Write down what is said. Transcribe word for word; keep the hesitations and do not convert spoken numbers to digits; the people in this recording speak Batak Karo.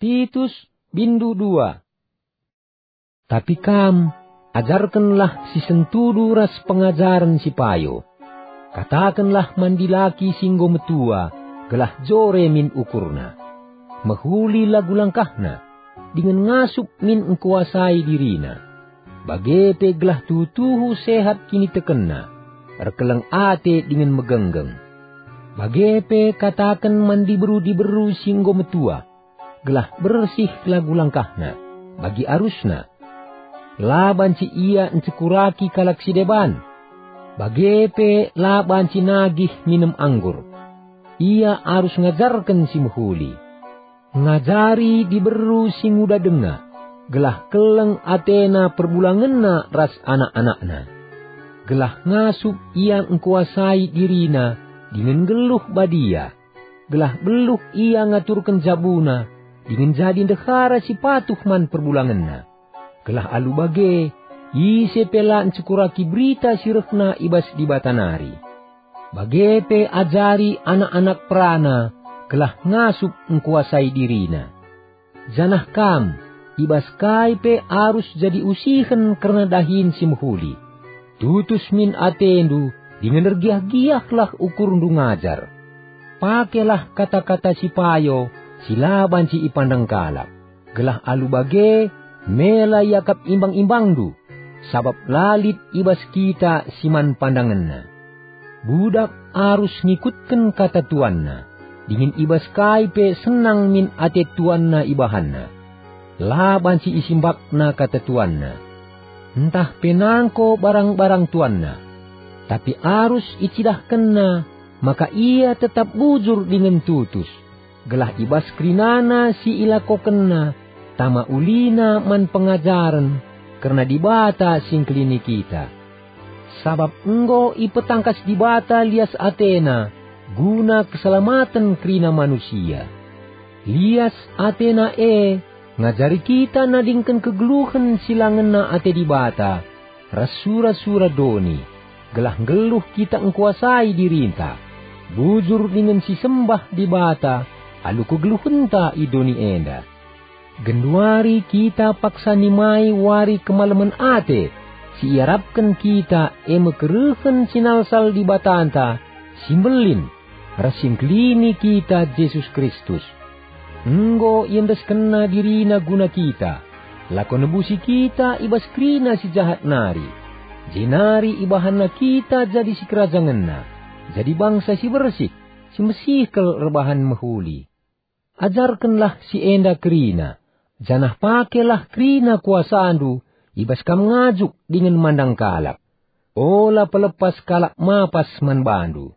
Titus, bindu dua. Tapi kam, ajarkenlah si sentudu ras pengajaren si payo. Katakenlah man dilaki si enggo metua, gelah jore min ukurna. Mehuli lagu langkahna, dingen ngasup min engkuasai dirina. Bage pe gelah tuhu-tuhu sehat kinitekenna, erkeleng ate dingen megenggeng. Bage pe kataken man diberu-diberu si enggo metua, gelah bersih lagu langkahna, bagi arusna. La banci ia ncekuraki kalak si deban, bage pe la banci nagih minem anggur. Ia arus ngajarken si mehuli. Ngajari diberu si nguda denga, gelah keleng atena perbulangenna ras anak-anakna. Gelah ngasup ia engkuasai dirina dingen nggeluh badia, gelah beluh ia ngaturken jabuna dingen jadi ndehara si patuh man perbulangenna. Gelah alu bage, ise pe la ncekuraki berita si rehna i bas Dibata nari. Bage pe ajari anak-anak perana gelah ngasup engkuasai dirina. Janah kam, i bas kai pe arus jadi usihen kerna dahin si mehuli. Tutus min atendu dingen ergiah-giahlah ukurndu ngajar. Pakelah kata-kata si payo, si la banci ipandang kalak, gelah alu bage mela iakap imbang-imbangndu, sabap la lit i bas kita si man pandangenna. Budak arus ngikutken kata tuanna, dingen i bas kai pe senang min ate tuanna ibahanna. La banci isimbakna kata tuanna, ntah pe nangko barang-barang tuanna, tapi arus icidahkenna maka ia tetap bujur dingen tutus, gelah i bas kerinana si ilakokenna tama ulina man pengajaren kerna Dibata si ngkelini kita. Sabap enggo ipetangkas Dibata lias ateNa guna keselamaten kerina manusia. Lias ateNa e ngajari kita nadingken kegeluhen si la ngena ate Dibata ras sura-sura doni, gelah nggeluh kita engkuasai dirinta, bujur dingen sisembah Dibata alu kegeluhenta i doni enda. Genduari kita paksa nimai wari kemalemen ate si iarapken kita, e me kerehen sinalsal Dibatanta si mbelin ras si ngkelini kita, Jesus Kristus. Enggo iendeskenNa diriNa guna kita, lako nebusi kita i bas kerina si jahat nari, jenari ibahanNa kita jadi sikerajangenNa, jadi bangsa si bersih, si mesih kal erbahan mehuli. Ajarkenlah si enda kerina, janah pakelah kerina kuasandu i bas kam ngajuk dingen mandang kalak. Ola pelepas kalak mapas man bandu.